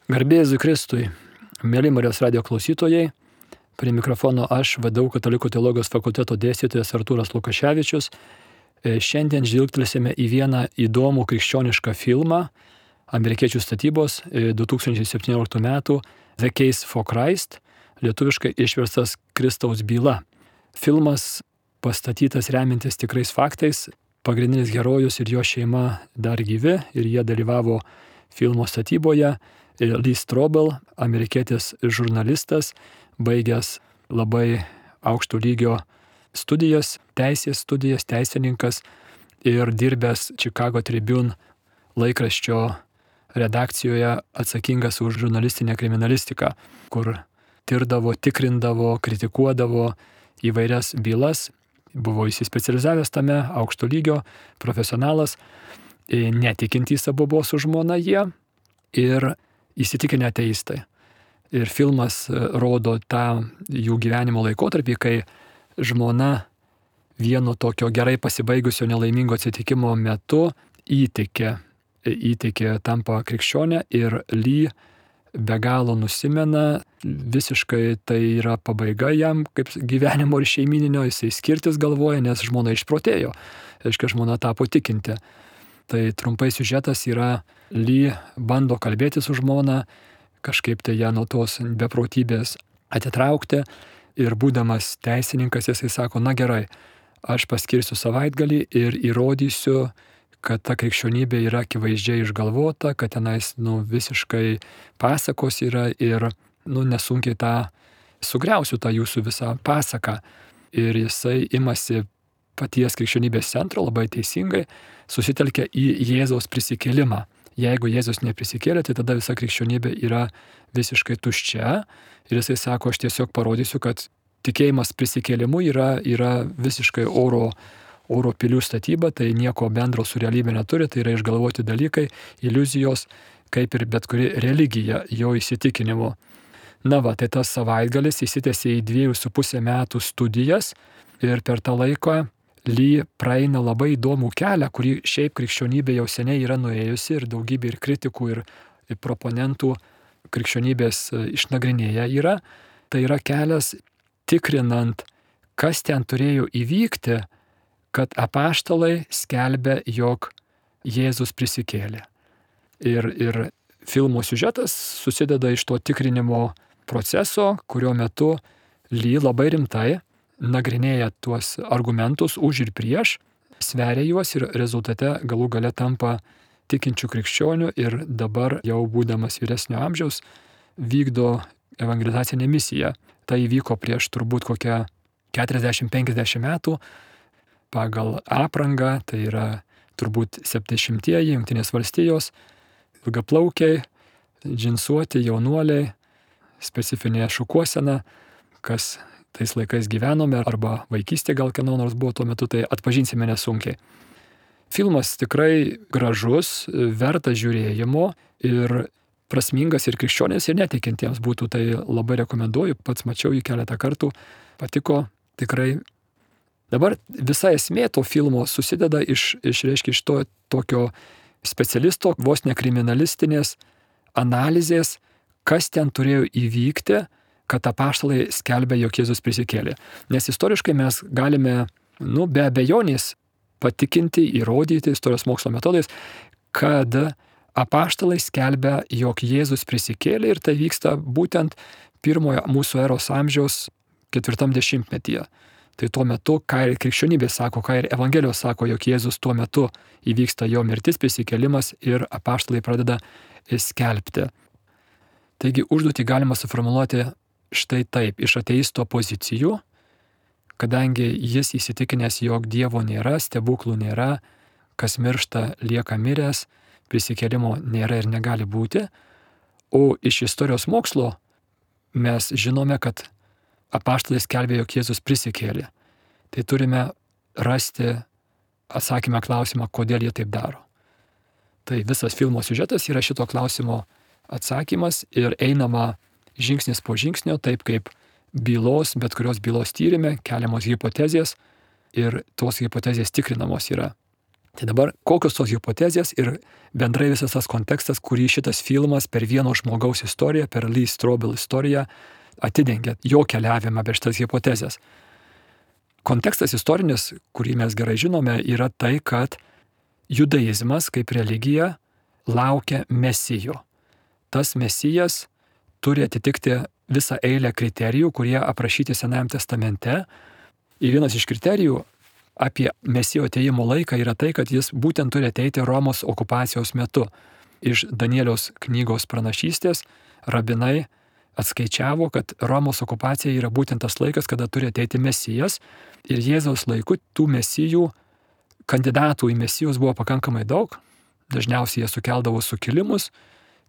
Garbė Jėzui Kristui, mėly Marijos radijo klausytojai, prie mikrofono aš, VDU Katalikų teologijos fakulteto dėstytojas Artūras Lukaševičius. Šiandien žvilgtelsime į vieną įdomų krikščionišką filmą amerikiečių statybos 2017 metų The Case for Christ, lietuviškai išverstas Kristaus byla. Filmas pastatytas remiantis tikrais faktais, pagrindinis herojus ir jo šeima dar gyvi ir jie dalyvavo filmo statyboje. Lee Strobel, amerikietis žurnalistas, baigęs labai aukšto lygio studijas, teisės studijas, teisininkas ir dirbęs Chicago Tribune laikraščio redakcijoje atsakingas už žurnalistinę kriminalistiką, kur tirdavo, tikrindavo, kritikuodavo įvairias bylas, buvo įsispecializavęs tame, aukšto lygio profesionalas, netikintys abu buvo su žmona jie ir įsitikinę ateistai. Ir filmas rodo tą jų gyvenimo laikotarpį, kai žmona vieno tokio gerai pasibaigusio nelaimingo atsitikimo metu įtikė, tampa krikščionė ir Lee be galo nusimena, visiškai tai yra pabaiga jam kaip gyvenimo ir šeimininio, jisai skirtis galvoja, nes žmona išprotėjo, reiškia žmona tapo tikinti. Tai trumpai siužetas yra, Lee bando kalbėti su žmona, kažkaip tai ją nuo tos beprotybės atitraukti ir būdamas teisininkas jisai sako, na gerai, aš paskirsiu savaitgalį ir įrodysiu, kad ta krikščionybė yra akivaizdžiai išgalvota, kad tenais visiškai pasakos yra ir nesunkiai sugriausiu tą jūsų visą pasaką. Ir jisai imasi paties krikščionybės centro, labai teisingai, susitelkia į Jėzaus prisikėlimą. Jeigu Jėzus neprisikėlė, tai tada visa krikščionybė yra visiškai tuščia. Ir jisai sako, aš tiesiog parodysiu, kad tikėjimas prisikėlimu yra visiškai oro pilių statyba, tai nieko bendro su realybė neturi, tai yra išgalvoti dalykai, iliuzijos, kaip ir bet kuri religija jo įsitikinimu. Tai tas savaitgalis įsitęsė į 2,5 metų studijas ir per tą laiką Lee praeina labai įdomų kelią, kurį šiaip krikščionybė jau seniai yra nuėjusi ir daugybė ir kritikų ir proponentų krikščionybės išnagrinėję yra. Tai yra kelias tikrinant, kas ten turėjo įvykti, kad apaštalai skelbia, jog Jėzus prisikėlė. Ir filmo siužetas susideda iš to tikrinimo proceso, kurio metu Lee labai rimtai nagrinėja tuos argumentus už ir prieš, sveria juos ir rezultate galų gale tampa tikinčių krikščionių ir dabar jau būdamas vyresnio amžiaus vykdo evangelizacinę misiją. Tai įvyko prieš turbūt kokią 40-50 metų pagal aprangą, tai yra turbūt 70-ieji Jungtinės valstijos, ilgaplaukiai, džinsuoti jaunuoliai, specifinė šukuosena, kas tais laikais gyvenome, arba vaikystė gal kieno nors buvo tuo metu, tai atpažinsime nesunkiai. Filmas tikrai gražus, vertas žiūrėjimo ir prasmingas ir krikščionės ir netikintiems būtų, tai labai rekomenduoju, pats mačiau jį keletą kartų, patiko tikrai. Dabar visa esmė to filmo susideda iš to tokio specialisto, vos ne kriminalistinės analizės, kas ten turėjo įvykti, kad apaštalai skelbia, jog Jėzus prisikėlė. Nes istoriškai mes galime, be abejonės patikinti, įrodyti istorijos mokslo metodais, kad apaštalai skelbia, jog Jėzus prisikėlė ir tai vyksta būtent pirmojo mūsų eros amžiaus 40-metyje. Tai tuo metu, ką ir krikščionybė sako, ką ir Evangelijos sako, jog Jėzus tuo metu įvyksta jo mirtis, prisikėlimas ir apaštalai pradeda skelbti. Taigi užduotį galima suformuluoti štai taip, iš ateisto pozicijų, kadangi jis įsitikinęs, jog Dievo nėra, stebuklų nėra, kas miršta lieka miręs, prisikėlimo nėra ir negali būti, o iš istorijos mokslo mes žinome, kad apaštalai skelbė, jog Jėzus prisikėlė. Tai turime rasti atsakymą klausimą, kodėl jie taip daro. Tai visas filmo siužetas yra šito klausimo atsakymas ir einama žingsnis po žingsnio, taip kaip bet kurios bylos tyrime keliamos hipotezės ir tos hipotezės tikrinamos yra. Tai dabar kokios tos hipotezės ir bendrai visas tas kontekstas, kurį šitas filmas per vieno žmogaus istoriją, per Lee Strobel istoriją atidengia jo keliavimą per šitas hipotezės. Kontekstas istorinis, kurį mes gerai žinome, yra tai, kad judaizmas kaip religija laukia mesijo. Tas mesijas turi atitikti visą eilę kriterijų, kurie aprašyti Senajame testamente. Ir vienas iš kriterijų apie mesijo atėjimo laiką yra tai, kad jis būtent turi ateiti Romos okupacijos metu. Iš Danieliaus knygos pranašystės rabinai atskaičiavo, kad Romos okupacija yra būtent tas laikas, kada turi ateiti mesijas. Ir Jėzaus laiku tų mesijų, kandidatų į mesijus buvo pakankamai daug. Dažniausiai jie sukeldavo sukilimus.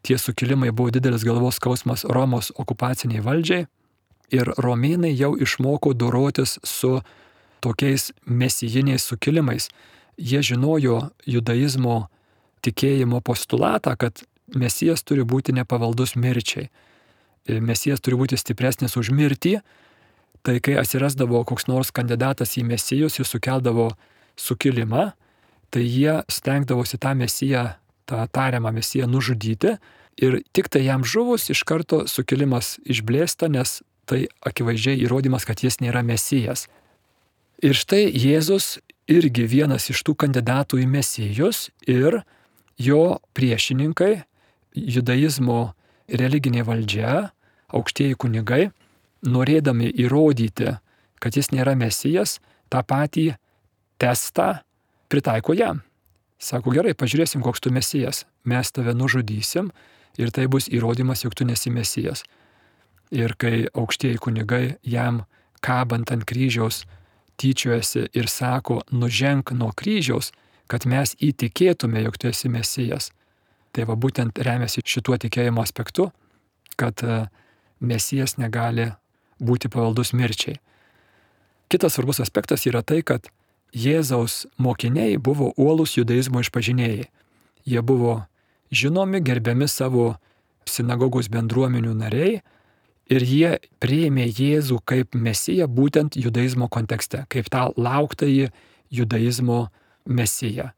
Tie sukilimai buvo didelis galvos skausmas Romos okupaciniai valdžiai. Ir romėnai jau išmoko dorotis su tokiais mesijiniais sukilimais. Jie žinojo judaizmo tikėjimo postulatą, kad mesijas turi būti nepavaldus mirčiai. Mesijas turi būti stipresnis už mirtį. Tai kai atsirasdavo koks nors kandidatas į mesijus, jis sukeldavo sukilimą, tai jie stengdavosi tą mesiją, tą tariamą mesiją nužudyti. Ir tik tai jam žuvus iš karto sukilimas išblėsta, nes tai akivaizdžiai įrodymas, kad jis nėra mesijas. Ir štai Jėzus irgi vienas iš tų kandidatų į mesijus ir jo priešininkai, judaizmo religinė valdžia, aukštieji kunigai, norėdami įrodyti, kad jis nėra mesijas, tą patį testą pritaiko jam. Sako, gerai, pažiūrėsim, koks tu mesijas, mes tave nužudysim ir tai bus įrodymas, jog tu nesi mesijas. Ir kai aukštieji kunigai jam kabant ant kryžiaus tyčiojasi ir sako, nuženk nuo kryžiaus, kad mes įtikėtume, jog tu esi mesijas. Tai va būtent remiasi šituo tikėjimo aspektu, kad mesijas negali būti pavaldus mirčiai. Kitas svarbus aspektas yra tai, kad Jėzaus mokiniai buvo uolūs judaizmo išpažinėjai. Jie buvo žinomi, gerbiami savo sinagogos bendruomenių nariai ir jie priėmė Jėzų kaip mesiją būtent judaizmo kontekste, kaip tą lauktąjį judaizmo mesiją.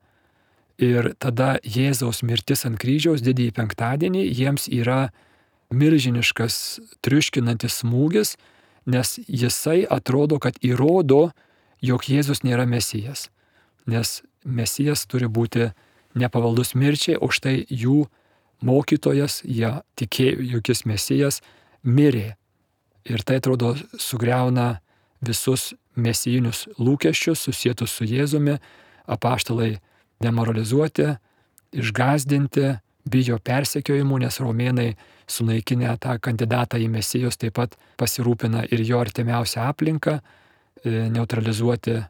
Ir tada Jėzaus mirtis ant kryžiaus didįjį penktadienį jiems yra milžiniškas triuškinantis smūgis, nes jisai atrodo, kad įrodo, jog Jėzus nėra mesijas. Nes mesijas turi būti nepavaldus mirčiai, o štai jų mokytojas, jie tikėjo, jog jis mesijas, mirė. Ir tai atrodo sugriauna visus mesijinius lūkesčius susietus su Jėzumi, apaštalai demoralizuoti, išgąsdinti, bijo persekiojimų, nes romėnai sunaikinę tą kandidatą į mesijus taip pat pasirūpina ir jo artimiausią aplinką, neutralizuoti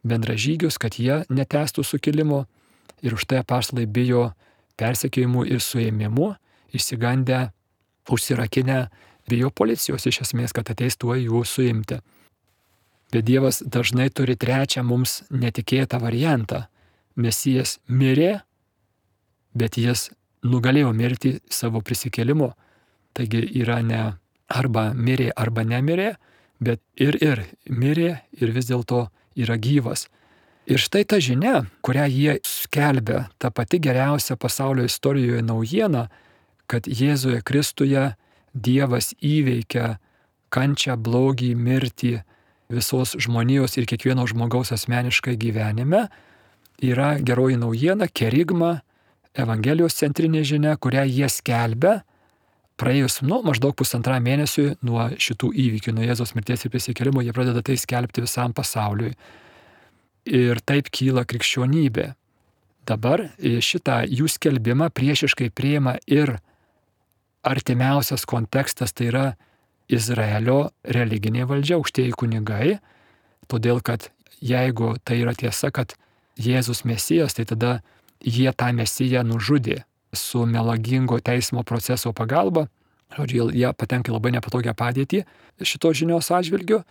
bendražygius, kad jie netęstų sukilimo. Ir už tai apaštalai bijo persekiojimų ir suėmimų, išsigandę, užsirakinę, bijo policijos iš esmės, kad ateis tuo jų suimti. Bet Dievas dažnai turi trečią mums netikėtą variantą. Mesijas mirė, bet jis nugalėjo mirti savo prisikėlimu. Taigi yra ne arba mirė, arba nemirė, bet ir mirė ir vis dėlto yra gyvas. Ir štai ta žinia, kurią jie skelbia, ta pati geriausia pasaulio istorijoje naujiena, kad Jėzuje Kristuje Dievas įveikia kančią, blogį, mirtį visos žmonijos ir kiekvieno žmogaus asmeniškai gyvenime, yra geroji naujiena, kerigma, Evangelijos centrinė žinia, kurią jie skelbia praėjus maždaug 1,5 mėnesių nuo šitų įvykių, nuo Jėzaus mirties ir prisikėlimo, jie pradeda tai skelbti visam pasauliui. Ir taip kyla krikščionybė. Dabar šitą jų skelbimą priešiškai priima ir artimiausias kontekstas, tai yra Izraelio religinė valdžia, aukštieji kunigai, todėl kad jeigu tai yra tiesa, kad Jėzus mesijas, tai tada jie tą mesiją nužudė su melagingo teismo proceso pagalba. Žodžiu, jie patenka labai nepatogią padėtį šito žinios atžvilgiu.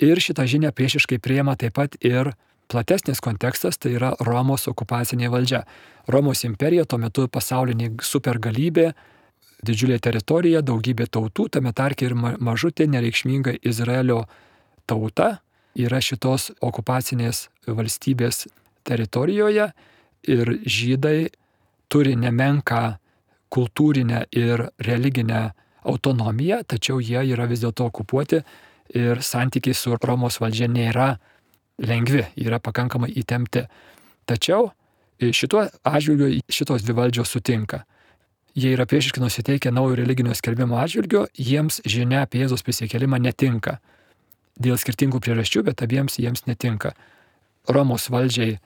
Ir šitą žinią priešiškai priima taip pat ir platesnis kontekstas, tai yra Romos okupacinė valdžia. Romos imperija tuo metu pasaulinė supergalybė, didžiulė teritorija, daugybė tautų, tame tarpe ir mažutė nereikšminga Izraelio tauta yra šitos okupacinės valstybės teritorijoje ir žydai turi nemenką kultūrinę ir religinę autonomiją, tačiau jie yra vis dėlto okupuoti ir santykiai su Romos valdžia nėra lengvi, yra pakankamai įtempti. Tačiau šituo atžvilgiu šitos dvi valdžios sutinka. Jie yra priešiškai nusiteikę naujo religinio skelbimo atžvilgiu, jiems žinia apie Jėzaus prisikėlimą netinka. Dėl skirtingų priežasčių, bet abiems jiems netinka. Romos valdžiai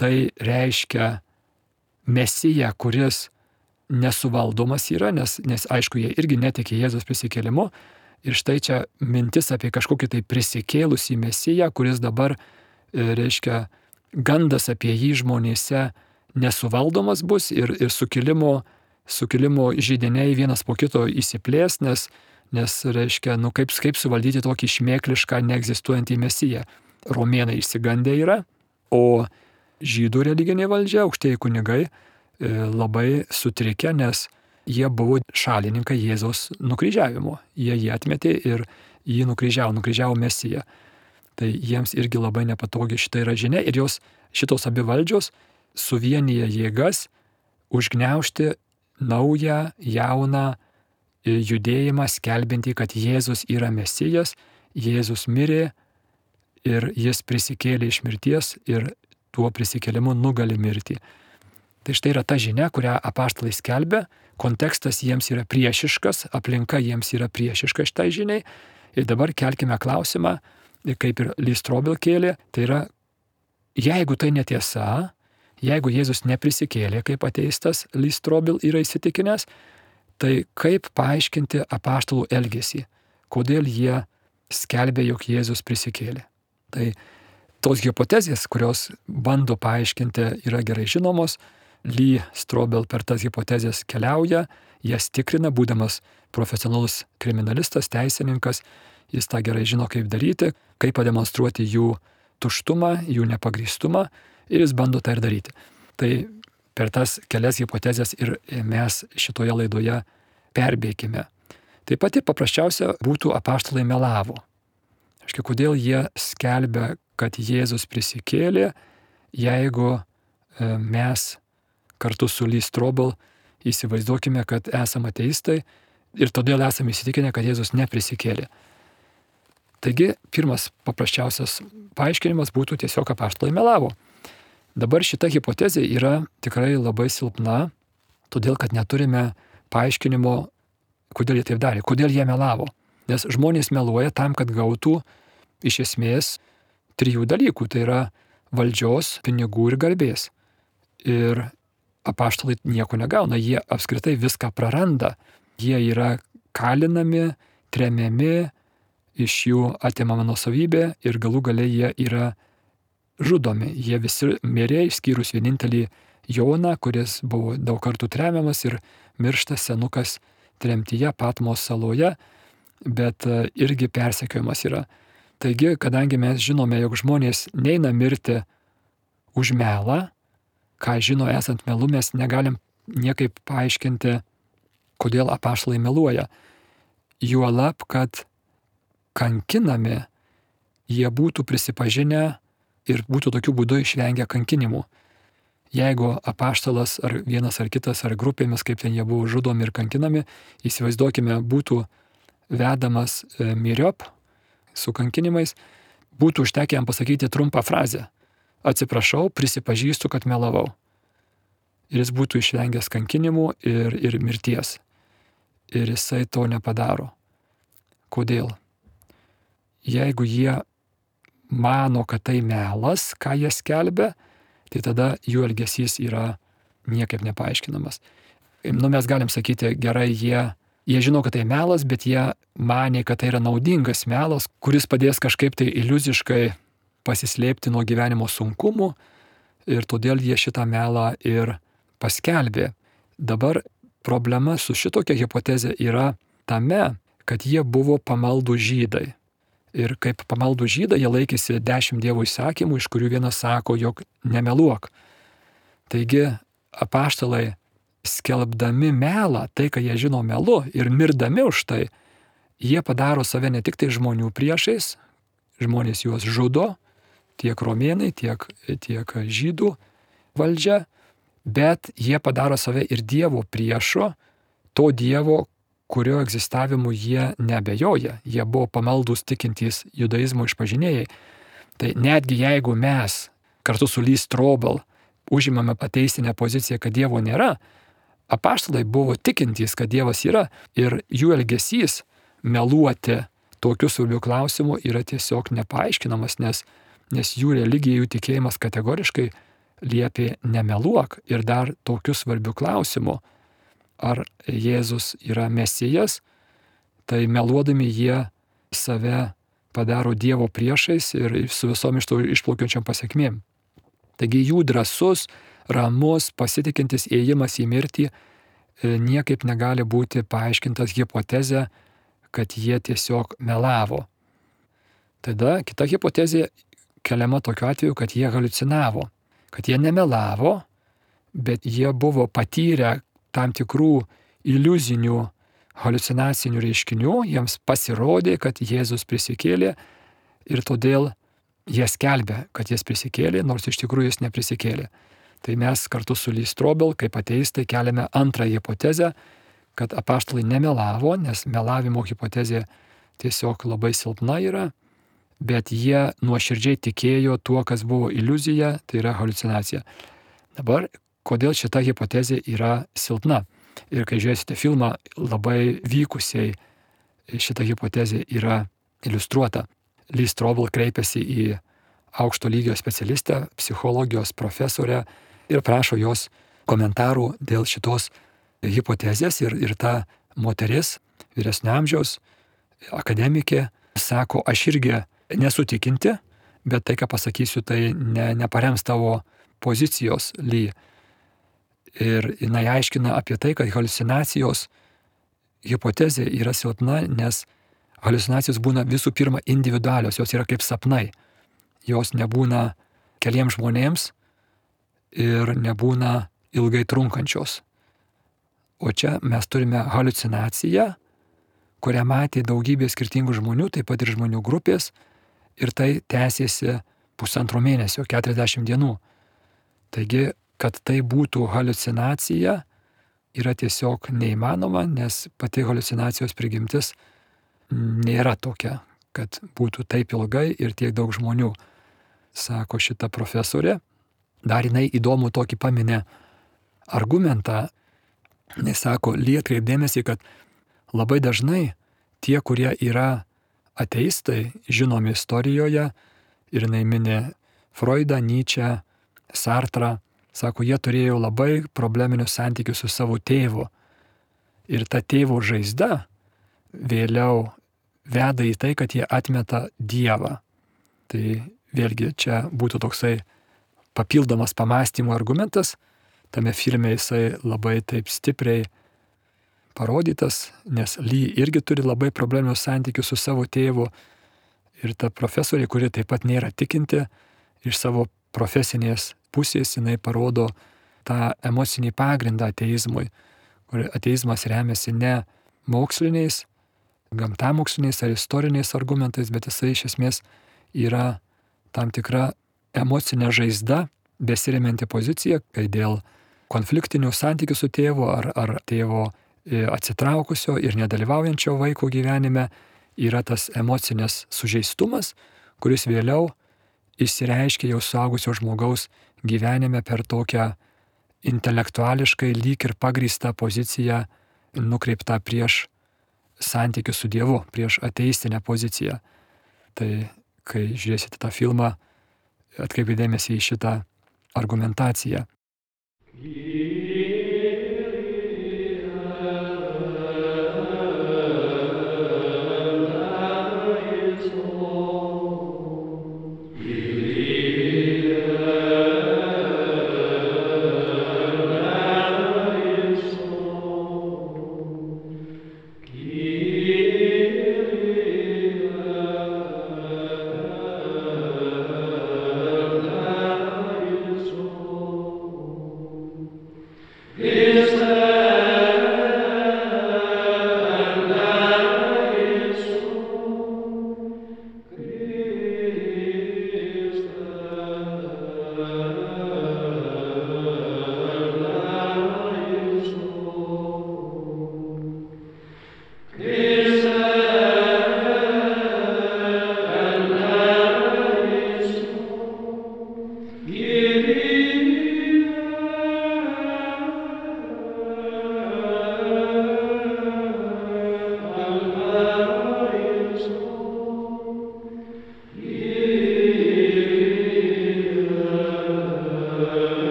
tai reiškia Mesiją, kuris nesuvaldomas yra, nes aišku, jie irgi netiki Jėzaus prisikėlimu. Ir štai čia mintis apie kažkokį tai prisikėlusį Mesiją, kuris dabar, reiškia, gandas apie jį žmonėse nesuvaldomas bus ir sukilimo židiniai vienas po kito įsiplės, nes reiškia, kaip suvaldyti tokį šmėklišką, neegzistuojantį Mesiją. Romėnai išsigandę yra, o žydų religinė valdžia, aukštieji kunigai, labai sutrikę, nes jie buvo šalininkai Jėzaus nukryžiavimo. Jie jį atmetė ir jį nukryžiavo Mesiją. Tai jiems irgi labai nepatogi šita yra žinia ir šitos abi valdžios suvienyje jėgas užgniaužti naują, jauną judėjimą, skelbinti, kad Jėzus yra Mesijas, Jėzus mirė ir jis prisikėlė iš mirties ir tuo prisikėlimu nugali mirtį. Tai štai yra ta žinia, kurią apaštalai skelbia, kontekstas jiems yra priešiškas, aplinka jiems yra priešiška šitai žiniai. Ir dabar kelkime klausimą, kaip ir Lee Strobel kėlė, tai yra, jeigu tai netiesa, jeigu Jėzus neprisikėlė kaip ateistas, Lee Strobel yra įsitikinęs, tai kaip paaiškinti apaštalų elgesį, kodėl jie skelbė, jog Jėzus prisikėlė. Tai tos hipotezės, kurios bando paaiškinti, yra gerai žinomos. Lee Strobel per tas hipotezės keliauja, jas tikrina, būdamas profesionalus kriminalistas, teisininkas, jis tą gerai žino, kaip daryti, kaip pademonstruoti jų tuštumą, jų nepagrįstumą ir jis bando tai ir daryti. Tai per tas kelias hipotezės ir mes šitoje laidoje perbėkime. Taip pat ir paprasčiausia būtų apaštalai melavo. Aiškiai, kodėl jie skelbia, kad Jėzus prisikėlė, jeigu mes kartu su Lee Strobel įsivaizduokime, kad esame ateistai ir todėl esame įsitikinę, kad Jėzus neprisikėlė. Taigi, pirmas paprasčiausias paaiškinimas būtų tiesiog apaštalai melavo. Dabar šita hipotezė yra tikrai labai silpna, todėl kad neturime paaiškinimo, kodėl jie taip darė, kodėl jie melavo. Nes žmonės meluoja tam, kad gautų iš esmės 3 dalykų, tai yra valdžios, pinigų ir garbės. Ir apaštalai nieko negauna, jie apskritai viską praranda. Jie yra kalinami, tremiami, iš jų atimama nuosavybė ir galų gale jie yra žudomi. Jie visi mirė, išskyrus vienintelį Joną, kuris buvo daug kartų tremiamas ir miršta senukas tremtyje Patmos saloje, bet irgi persekiojimas yra. Taigi, kadangi mes žinome, jog žmonės neina mirti už melą, ką žino esant melu, mes negalim niekaip paaiškinti, kodėl apaštalai meluoja. Juolab, kad kankinami jie būtų prisipažinę ir būtų tokiu būdu išvengę kankinimų. Jeigu apaštalas ar vienas ar kitas ar grupėmis, kaip ten jie buvo žudomi ir kankinami, įsivaizduokime, būtų vedamas myriop su kankinimais, būtų užtekę jam pasakyti trumpą frazę. Atsiprašau, prisipažįstu, kad melavau. Ir jis būtų išvengęs kankinimų ir mirties. Ir jisai to nepadaro. Kodėl? Jeigu jie mano, kad tai melas, ką jie skelbia, tai tada jų elgesys yra niekaip nepaaiškinamas. Mes galim sakyti, gerai, jie žino, kad tai melas, bet jie manė, kad tai yra naudingas melas, kuris padės kažkaip tai iliuziškai pasislėpti nuo gyvenimo sunkumų ir todėl jie šitą melą ir paskelbė. Dabar problema su šitokia hipotezė yra tame, kad jie buvo pamaldų žydai. Ir kaip pamaldų žydai jie laikėsi 10 Dievo įsakymų, iš kurių vienas sako, jog nemeluok. Taigi apaštalai skelbdami melą, tai, ką jie žino melu ir mirdami už tai, jie padaro save ne tik tai žmonių priešais, žmonės juos žudo, tiek romėnai, tiek žydų valdžią, bet jie padaro save ir Dievo priešu, to Dievo, kurio egzistavimu jie neabejoja. Jie buvo pamaldus tikintys judaizmo išpažinėjai. Tai netgi jeigu mes kartu su Lee Strobel užimame ateistinę poziciją, kad Dievo nėra, apaštalai buvo tikintys, kad Dievas yra, ir jų elgesys meluoti tokiu svarbiu klausimu yra tiesiog nepaaiškinamas, nes jų religija, jų tikėjimas kategoriškai liepė nemeluok. Ir dar tokiu svarbiu klausimu, ar Jėzus yra Mesijas, tai meluodami jie save padaro Dievo priešais ir su visom iš to išplaukiančiom pasiekmėm. Taigi jų drąsus, ramus, pasitikintis ėjimas į mirtį niekaip negali būti paaiškintas hipotezė, kad jie tiesiog melavo. Tada kita hipotezė keliama tokiu atveju, kad jie haliucinavo, kad jie nemelavo, bet jie buvo patyrę tam tikrų iliuzinių, haliucinacinių reiškinių, jiems pasirodė, kad Jėzus prisikėlė ir todėl jie skelbė, kad jis prisikėlė, nors iš tikrųjų jis neprisikėlė. Tai mes kartu su Lee Strobel, kaip ateistai, keliame antrąją hipotezę, kad apaštalai nemelavo, nes melavimo hipotezė tiesiog labai silpna yra, bet jie nuoširdžiai tikėjo tuo, kas buvo iliuzija, tai yra haliucinacija. Dabar, kodėl šita hipotezė yra silpna? Ir kai žiūrėsite filmą, labai vykusiai šita hipotezė yra iliustruota. Lee Strobel kreipėsi į aukšto lygio specialistę, psichologijos profesorę ir prašo jos komentarų dėl šitos hipotezės. Ir ta moteris, vyresnio amžiaus akademikė, sako, aš irgi nesu tikinti, bet tai, ką pasakysiu, tai neparems tavo pozicijos, Lee. Ir jinai aiškina apie tai, kad haliucinacijos hipotezė yra silpna, nes haliucinacijos būna visų pirma individualios, jos yra kaip sapnai. Jos nebūna keliems žmonėms ir nebūna ilgai trunkančios. O čia mes turime haliucinaciją, kurią matė daugybė skirtingų žmonių, taip pat ir žmonių grupės, ir tai tęsėsi 1,5 mėnesio, 40 dienų. Taigi, kad tai būtų haliucinacija, yra tiesiog neįmanoma, nes pati haliucinacijos prigimtis nėra tokia, kad būtų taip ilgai ir tiek daug žmonių, sako šita profesorė. Dar jinai įdomų tokį paminė argumentą. Jis sako, atkreipdėmėsi, kad labai dažnai tie, kurie yra ateistai, žinomi istorijoje, ir jinai mini Freudą, Nyčę, Sartrą, sako, jie turėjo labai probleminius santykius su savo tėvu. Ir ta tėvo žaizda vėliau veda į tai, kad jie atmeta Dievą. Tai vėlgi čia būtų toksai papildomas pamąstymo argumentas. Tame filme jisai labai taip stipriai parodytas, nes Lee irgi turi labai probleminius santykius su savo tėvu. Ir ta profesorė, kuri taip pat nėra tikinti, iš savo profesinės pusės jinai parodo tą emocinį pagrindą ateizmui, kur ateizmas remiasi ne moksliniais, gamtamoksliniais ar istoriniais argumentais, bet jisai iš esmės yra tam tikra emocinė žaizda, besiremianti pozicija, kai dėl konfliktinių santykių su tėvu ar tėvo atsitraukusio ir nedalyvaujančio vaiko gyvenime yra tas emocinės sužeistumas, kuris vėliau išsireiškia jau suaugusio žmogaus gyvenime per tokią intelektuališkai lyg ir pagrįstą poziciją nukreiptą prieš santykių su Dievu, prieš ateistinę poziciją. Tai kai žiūrėsite tą filmą, atkreipkite dėmesį į šitą argumentaciją.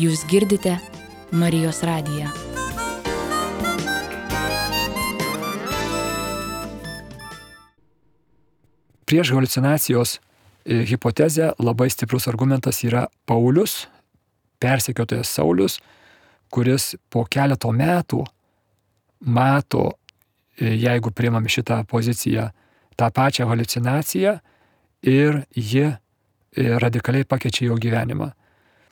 Jūs girdite Marijos radiją. Prieš haliucinacijos hipotezę labai stiprus argumentas yra Paulius, persekiotojas Saulius, kuris po keleto metų mato, jeigu priimame šitą poziciją, tą pačią haliucinaciją ir ji radikaliai pakeičia jo gyvenimą.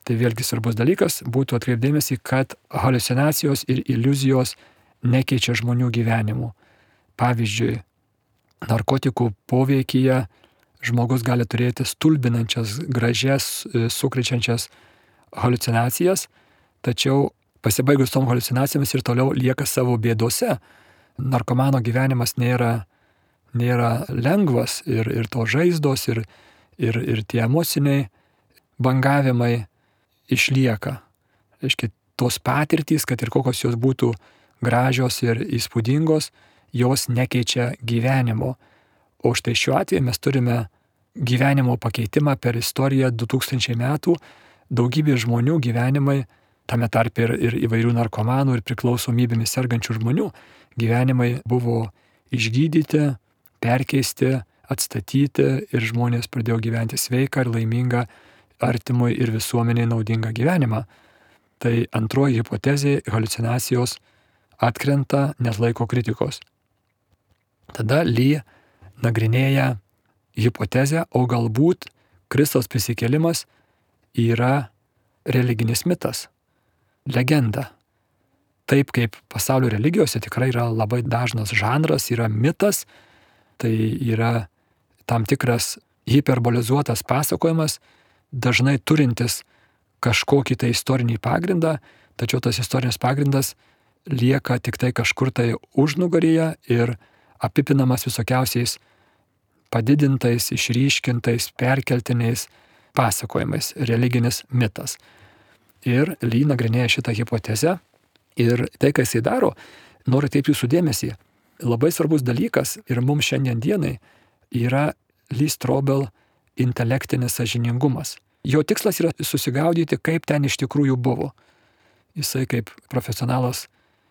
Tai vėlgi svarbus dalykas būtų atkreipdėmėsi, kad haliucinacijos ir iliuzijos nekeičia žmonių gyvenimų. Pavyzdžiui, narkotikų poveikyje žmogus gali turėti stulbinančias, gražias, sukrečiančias haliucinacijas, tačiau pasibaigus tom haliucinacijomis ir toliau lieka savo bėdose. Narkomano gyvenimas nėra lengvas ir to žaizdos, ir tie emociniai bangavimai išlieka. Reiškia, tos patirtys, kad ir kokios jos būtų gražios ir įspūdingos, jos nekeičia gyvenimo. O štai šiuo atveju mes turime gyvenimo pakeitimą per istoriją 2000 metų. Daugybė žmonių gyvenimai, tame tarp ir įvairių narkomanų ir priklausomybėmis sergančių žmonių, gyvenimai buvo išgydyti, perkeisti, atstatyti ir žmonės pradėjo gyventi sveiką ir laimingą, artimui ir visuomeniai naudingą gyvenimą. Tai antroji hipotezė, haliucinacijos atkrenta, neatlaiko kritikos. Tada Lee nagrinėja hipotezę, o galbūt Kristaus prisikėlimas yra religinis mitas, legenda. Taip kaip pasaulio religijose tikrai yra labai dažnas žanras, yra mitas, tai yra tam tikras hiperbolizuotas pasakojimas, dažnai turintis kažkokį tai istorinį pagrindą, tačiau tas istorinis pagrindas lieka tik tai kažkur tai užnugaryje ir apipinamas visokiausiais padidintais, išryškintais, perkeltiniais pasakojimais, religinis mitas. Ir Lee nagrinėja šitą hipotezę ir tai, ką jisai daro, noriu taip jūsų dėmesį. Labai svarbus dalykas ir mums šiandien dienai yra Lee Strobel intelektinis sąžiningumas. Jo tikslas yra susigaudyti, kaip ten iš tikrųjų buvo. Jisai kaip profesionalas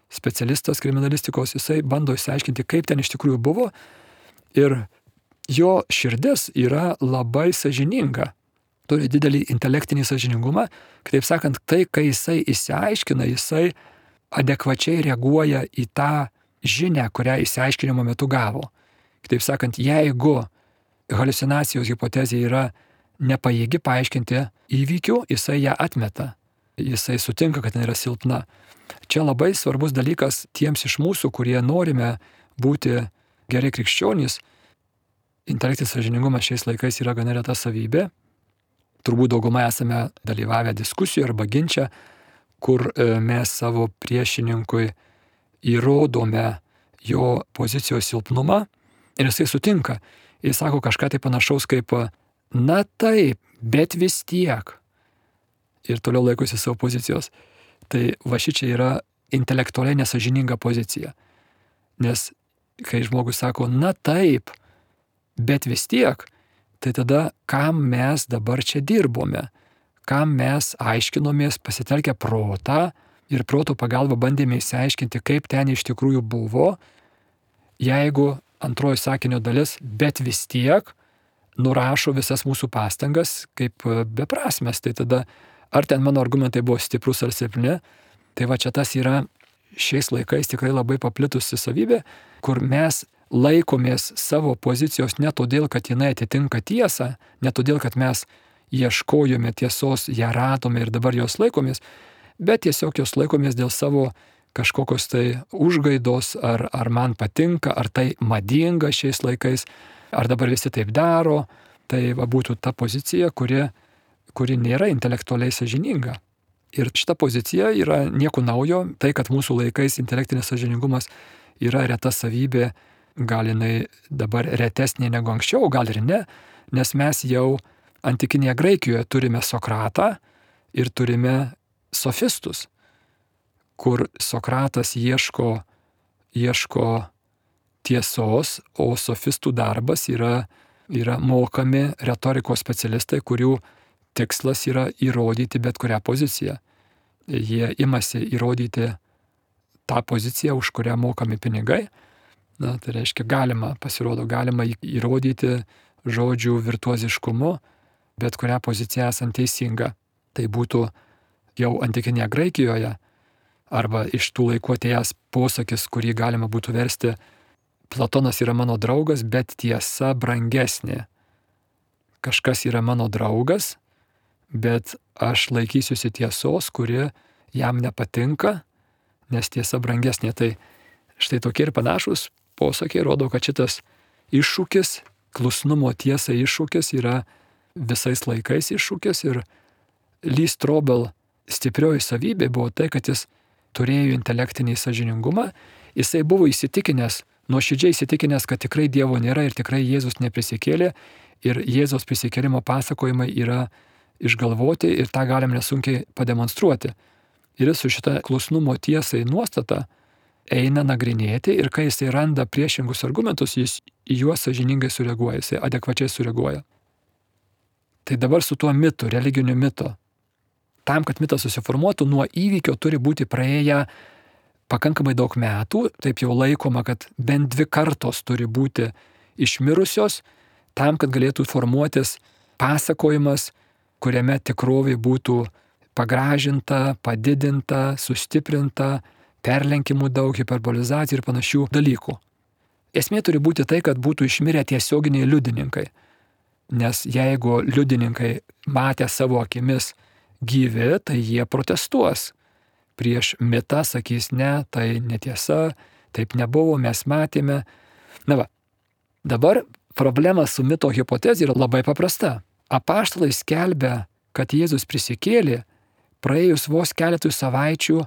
specialistas kriminalistikos, jisai bando išsiaiškinti, kaip ten iš tikrųjų buvo ir jo širdis yra labai sąžininga. Turi didelį intelektinį sąžiningumą, kitaip sakant, tai, kai jisai išsiaiškina, jisai adekvačiai reaguoja į tą žinią, kurią išsiaiškinimo metu gavo. Kitaip sakant, jeigu haliucinacijos hipotezė yra nepajėgi paaiškinti įvykių, jisai ją atmeta. Jisai sutinka, kad jinai yra silpna. Čia labai svarbus dalykas tiems iš mūsų, kurie norime būti geri krikščionys. Intelektinis sąžiningumas šiais laikais yra gana reta savybė. Turbūt daugumai esame dalyvavę diskusijoje arba ginče, kur mes savo priešininkui įrodome jo pozicijos silpnumą ir jisai sutinka. Jis sako kažką tai panašaus kaip, na taip, bet vis tiek. Ir toliau laikosi savo pozicijos. Tai va šičia yra intelektualiai nesąžininga pozicija. Nes kai žmogus sako, na taip, bet vis tiek, tai tada kam mes dabar čia dirbome, kam mes aiškinomės pasitelkę protą ir proto pagalba bandėme išsiaiškinti, kaip ten iš tikrųjų buvo, jeigu antroji sakinio dalis, bet vis tiek nurašo visas mūsų pastangas kaip beprasmės. Tai tada, ar ten mano argumentai buvo stiprus ar silpni, tai va čia tas yra šiais laikais tikrai labai paplitusi savybė, kur mes laikomės savo pozicijos ne todėl, kad jinai atitinka tiesą, ne todėl, kad mes ieškojome tiesos, ją radome ir dabar jos laikomės, bet tiesiog jos laikomės dėl savo kažkokios tai užgaidos, ar man patinka, ar tai madinga šiais laikais, ar dabar visi taip daro. Tai va būtų ta pozicija, kuri nėra intelektualiai sąžininga. Ir šita pozicija yra nieko naujo, tai kad mūsų laikais intelektinis sąžiningumas yra reta savybė, gal jinai dabar retesnė negu anksčiau, gal ir ne, nes mes jau antikinėje Graikijoje turime Sokratą ir turime sofistus, kur Sokratas ieško tiesos, o sofistų darbas yra mokami retorikos specialistai, kurių tikslas yra įrodyti bet kurią poziciją. jie imasi įrodyti tą poziciją, už kurią mokami pinigai. Na, tai reiškia, galima įrodyti žodžių virtuoziškumu, bet kurią poziciją esant teisinga. Tai būtų jau antikinėje Graikijoje, arba iš tų laikų atėjęs posakis, kurį galima būtų versti: Platonas yra mano draugas, bet tiesa brangesnė. Kažkas yra mano draugas, bet aš laikysiuosi tiesos, kuri jam nepatinka, nes tiesa brangesnė. Tai štai tokie ir panašus posakiai rodo, kad šitas iššūkis, klusnumo tiesai iššūkis, yra visais laikais iššūkis. Ir Lee Strobel stiprioji savybė buvo tai, kad jis turėjo intelektinį sąžiningumą. Jisai buvo įsitikinęs, nuoširdžiai įsitikinęs, kad tikrai Dievo nėra ir tikrai Jėzus neprisikėlė. Ir Jėzaus prisikėlimo pasakojimai yra išgalvoti ir tą galim nesunkiai pademonstruoti. Ir jis su šita klusnumo tiesai nuostata eina nagrinėti, ir kai jisai randa priešingus argumentus, jis į juos sąžiningai sureaguoja, jisai adekvačiai sureaguoja. Tai dabar su tuo mitu, religiniu mitu. Tam, kad mitas susiformuotų, nuo įvykio turi būti praėję pakankamai daug metų. Taip jau laikoma, kad bent 2 kartos turi būti išmirusios, tam, kad galėtų formuotis pasakojimas, kuriame tikrovė būtų pagražinta, padidinta, sustiprinta, perlenkimų daug, hiperbolizacijų ir panašių dalykų. Esmė turi būti tai, kad būtų išmirę tiesioginiai liudininkai. Nes jeigu liudininkai matė savo akimis gyvi, tai jie protestuos. Prieš mitą sakys: ne, tai netiesa, taip nebuvo, mes matėme. Na va, dabar problema su mito hipotezė yra labai paprasta. Apaštalai skelbia, kad Jėzus prisikėlė praėjus vos keletui savaičių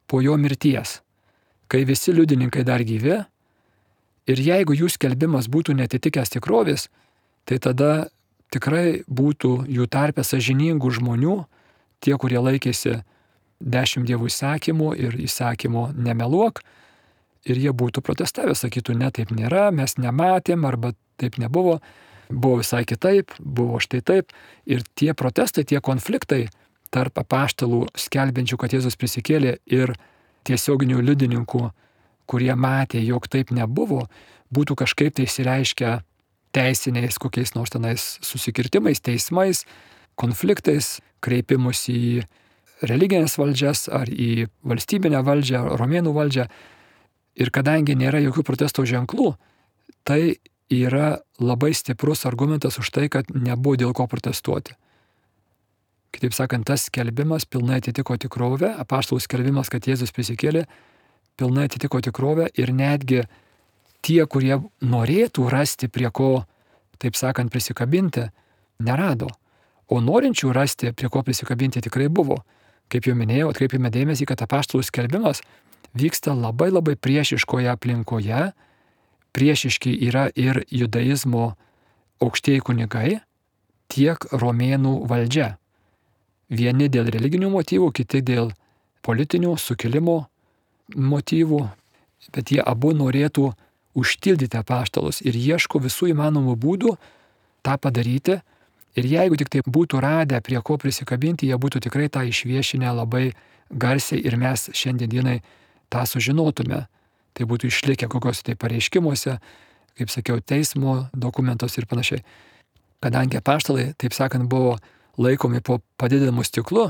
po jo mirties, kai visi liudininkai dar gyvi. Ir jeigu jų skelbimas būtų netitikęs tikrovės, tai tada tikrai būtų jų tarpe sąžiningų žmonių, tie, kurie laikėsi 10 Dievo įsakymų ir įsakymo nemeluok, ir jie būtų protestavę, sakytų: ne, taip nėra, mes nematėm, arba taip nebuvo, buvo visai kitaip, buvo štai taip. Ir tie protestai, tie konfliktai tarp apaštalų skelbiančių, kad Jėzus prisikėlė, ir tiesioginių liudininkų, kurie matė, jog taip nebuvo, būtų kažkaip tai išsireiškę teisiniais kokiais nors tenais susikirtimais, teismais, konfliktais, kreipimus į religinės valdžias ar į valstybinę valdžią, romėnų valdžią. Ir kadangi nėra jokių protesto ženklų, tai yra labai stiprus argumentas už tai, kad nebuvo dėl ko protestuoti. Kitaip sakant, tas skelbimas pilnai atitiko tikrovę, apaštalų skelbimas, kad Jėzus prisikėlė, pilnai atitiko tikrovę, ir netgi tie, kurie norėtų rasti prie ko, taip sakant, prisikabinti, nerado. O norinčių rasti prie ko prisikabinti tikrai buvo. Kaip jau minėjau, atkreipėme dėmesį, kad apaštalų skelbimas vyksta labai labai priešiškoje aplinkoje. Priešiški yra ir judaizmo aukštieji kunigai, tiek romėnų valdžia. Vieni dėl religinių motyvų, kiti dėl politinių sukilimo motyvų, bet jie abu norėtų užtildyti apaštalus ir ieško visų įmanomų būdų tą padaryti. Ir jeigu tik tai būtų radę prie ko prisikabinti, jie būtų tikrai tą išviešinę labai garsiai ir mes šiandienai tą sužinotume. Tai būtų išlikę kokios tai pareiškimuose, kaip sakiau, teismo dokumentos ir panašiai. Kadangi apaštalai, taip sakant, buvo laikomi po padidinamu stiklu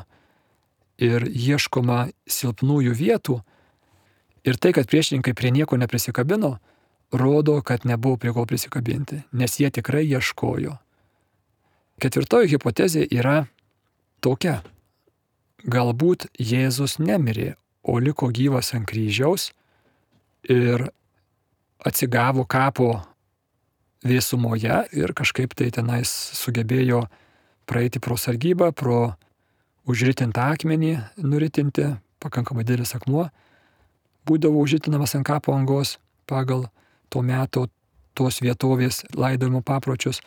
ir ieškoma silpnųjų vietų, ir tai, kad priešininkai prie nieko neprisikabino, rodo, kad nebuvo prie ko prisikabinti, nes jie tikrai ieškojo. Ketvirtoji hipotezė yra tokia: galbūt Jėzus nemirė, o liko gyvas ant kryžiaus ir atsigavo kapo vėsumoje ir kažkaip tai tenais sugebėjo praeiti pro sargybą, pro užritintą akmenį nuritinti, pakankamai didelis akmuo būdavo užritinamas ant kapo angos pagal to meto tos vietovės laidojimo papročius.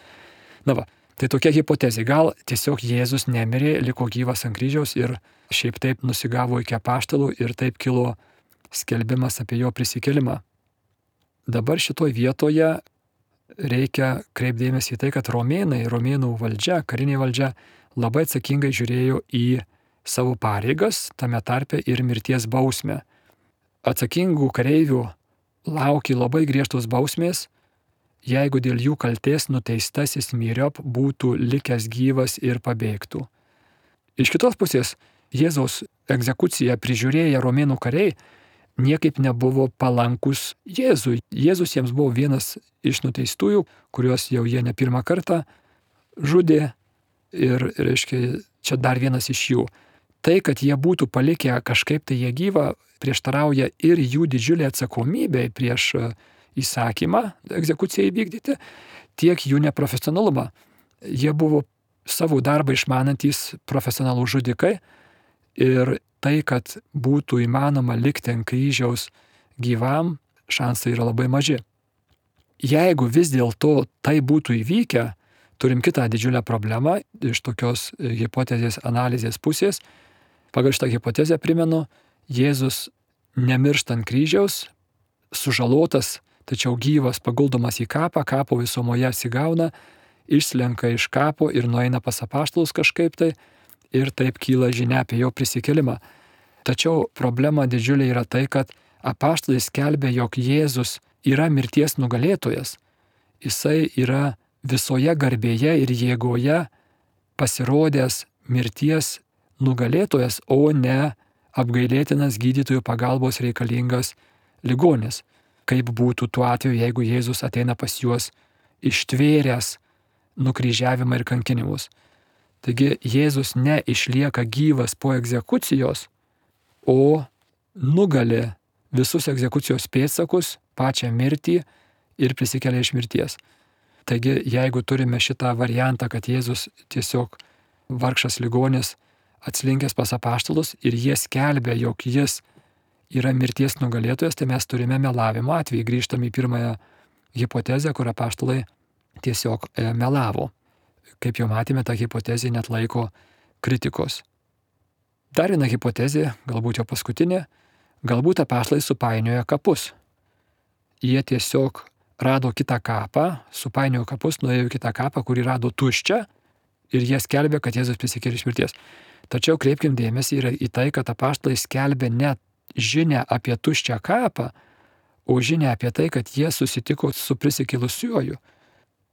Na va, tai tokia hipotezė. Gal tiesiog Jėzus nemirė, liko gyvas ant kryžiaus ir šiaip taip nusigavo iki apaštalų ir taip kilo skelbimas apie jo prisikėlimą. Dabar šitoj vietoje reikia kreipdėmėsi į tai, kad romėnų valdžia, karinė valdžia labai atsakingai žiūrėjo į savo pareigas, tame tarpe ir mirties bausmę. Atsakingų kareivių laukė labai griežtos bausmės, jeigu dėl jų kaltės nuteistasis myriop būtų likęs gyvas ir pabėgtų. Iš kitos pusės, Jėzaus egzekuciją prižiūrėję romėnų kariai niekaip nebuvo palankus Jėzui. Jėzus jiems buvo vienas iš nuteistųjų, kuriuos jau jie ne pirmą kartą žudė ir, reiškia, čia dar vienas iš jų. Tai, kad jie būtų palikę kažkaip tai jie gyvą, prieštarauja ir jų didžiulė atsakomybė prieš įsakymą egzekuciją įvykdyti, tiek jų neprofesionalumą. Jie buvo savo darbą išmanantys profesionalų žudikai ir tai, kad būtų įmanoma likti ant kryžiaus gyvam, šansai yra labai maži. Jeigu vis dėlto tai būtų įvykę, turim kitą didžiulę problemą iš tokios hipotezės analizės pusės. Pagal šitą hipotezę primenu, Jėzus nemiršta ant kryžiaus, sužalotas, tačiau gyvas paguldomas į kapą, kapo visumoje atsigauna, išslenka iš kapo ir nueina pas apaštalus kažkaip tai ir taip kyla žinia apie jo prisikėlimą. Tačiau problema didžiulė yra tai, kad apaštalai skelbia, jog Jėzus yra mirties nugalėtojas. Jisai yra visoje garbėje ir jėgoje pasirodęs mirties nugalėtojas, o ne apgailėtinas gydytojų pagalbos reikalingas ligonis. Kaip būtų tuo atveju, jeigu Jėzus ateina pas juos ištvėręs nukryžiavimą ir kankinimus. Taigi Jėzus neišlieka gyvas po egzekucijos, o nugali visus egzekucijos pėdsakus, pačią mirtį ir prisikelia iš mirties. Taigi jeigu turime šitą variantą, kad Jėzus tiesiog vargšas ligonis atslinkęs pas apaštalus ir jie skelbia, jog jis yra mirties nugalėtojas, tai mes turime melavimo atvejį. Grįžtame į pirmąją hipotezę, kur apaštalai tiesiog melavo. Kaip jau matėme, ta hipotezė net laiko kritikos. Dar viena hipotezė, galbūt jau paskutinė, galbūt apaštalai supainioja kapus. Jie tiesiog rado kitą kapą, supainiojo kapus, nuėjo į kitą kapą, kurį rado tuščią ir jie skelbė, kad Jėzus prisikėlė iš mirties. Tačiau kreipkim dėmesį į tai, kad apaštalai skelbė ne žinią apie tuščią kapą, o žinią apie tai, kad jie susitiko su prisikėlusiuoju.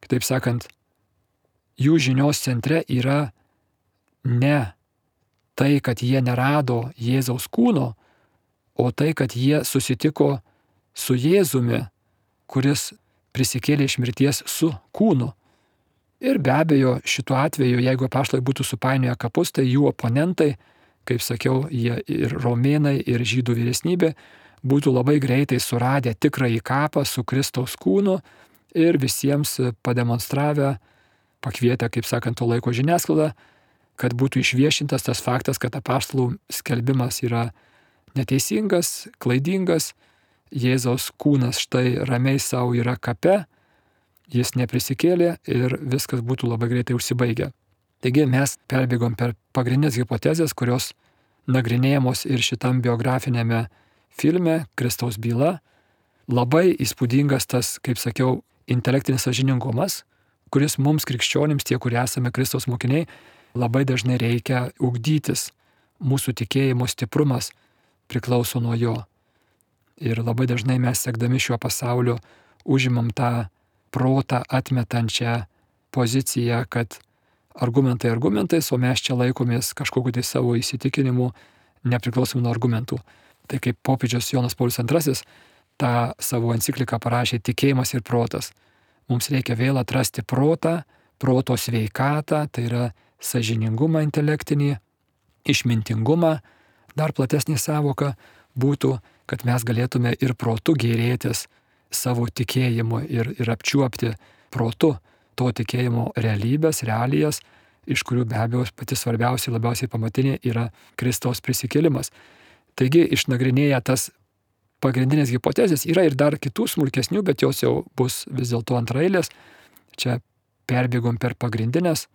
Kitaip sakant, jų žinios centre yra ne tai, kad jie nerado Jėzaus kūno, o tai, kad jie susitiko su Jėzumi, kuris prisikėlė iš mirties su kūnu. Ir be abejo, šituo atveju, jeigu apaštalai būtų supainioję kapus, tai jų oponentai, kaip sakiau, jie ir romėnai, ir žydų vyresnybė, būtų labai greitai suradę tikrąjį kapą su Kristaus kūnu ir visiems pademonstravę, pakvietę, kaip sakant, to laiko žiniasklaidą, kad būtų išviešintas tas faktas, kad apaštalų skelbimas yra neteisingas, klaidingas, Jėzaus kūnas štai ramiai savo yra kape, jis neprisikėlė ir viskas būtų labai greitai užsibaigę. Taigi mes perbėgom per pagrindinės hipotezės, kurios nagrinėjamos ir šitam biografinėme filme Kristaus byla. Labai įspūdingas tas, kaip sakiau, intelektinis sąžiningumas, kuris mums krikščionims, tie, kurie esame Kristaus mokiniai, labai dažnai reikia ugdytis. Mūsų tikėjimo stiprumas priklauso nuo jo. Ir labai dažnai mes sekdami šiuo pasauliu užimam tą protą atmetančią poziciją, kad argumentai argumentais, o mes čia laikomės kažkokiu tai savo įsitikinimu nepriklausomai nuo argumentų. Tai kaip popiežius Jonas Paulius II tą savo encikliką parašė Tikėjimas ir protas. Mums reikia vėl atrasti protą, proto sveikatą, tai yra sąžiningumą intelektinį, išmintingumą. Dar platesnė sąvoka būtų, kad mes galėtume ir protu gėrėtis savo tikėjimu ir apčiuopti protu to tikėjimo realybės, realijas, iš kurių be abejo pati svarbiausia, labiausiai pamatinė yra Kristaus prisikėlimas. Taigi, išnagrinėję tas pagrindinės hipotezės, yra ir dar kitų smulkesnių, bet jos jau bus vis dėlto antraeilės. Čia perbėgom per pagrindinės.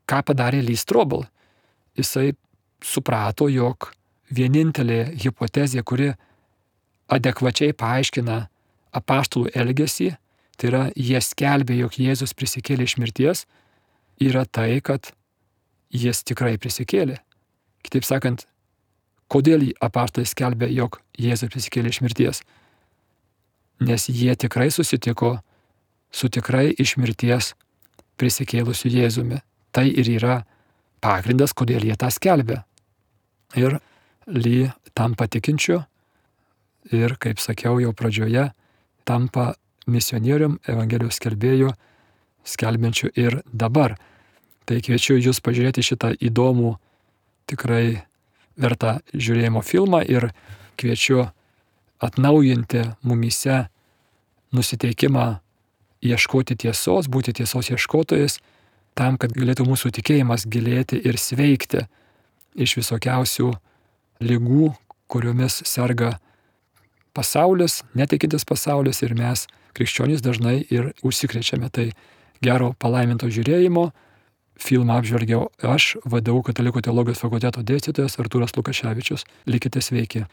Ką padarė Lee Strobel? Jisai suprato, jog vienintelė hipotezė, kuri adekvačiai paaiškina apaštalų elgesį, tai yra jie skelbė, jog Jėzus prisikėlė iš mirties, yra tai, kad jis tikrai prisikėlė. Kitaip sakant, kodėl apaštalai skelbė, jog Jėzus prisikėlė iš mirties? Nes jie tikrai susitiko su tikrai iš mirties prisikėlusiu Jėzumi. Tai ir yra pagrindas, kodėl jie tą skelbia. Ir Ly tampa tikinčiu ir, kaip sakiau jau pradžioje, tampa misionierium, evangelijos skelbėju, skelbiančiu ir dabar. Tai kviečiu jūs pažiūrėti šitą įdomų, tikrai vertą žiūrėjimo filmą ir kviečiu atnaujinti mumyse nusiteikimą ieškoti tiesos, būti tiesos ieškotojais, tam, kad galėtų mūsų tikėjimas gilėti ir sveikti iš visokiausių ligų, kuriomis serga pasaulis, netikintis pasaulis ir mes, krikščionys, dažnai ir užsikrečiame. Tai gero palaiminto žiūrėjimo. Filmą apžvelgiau aš, VDU Katalikų teologijos fakulteto dėstytojas Artūras Lukaševičius. Likite sveiki.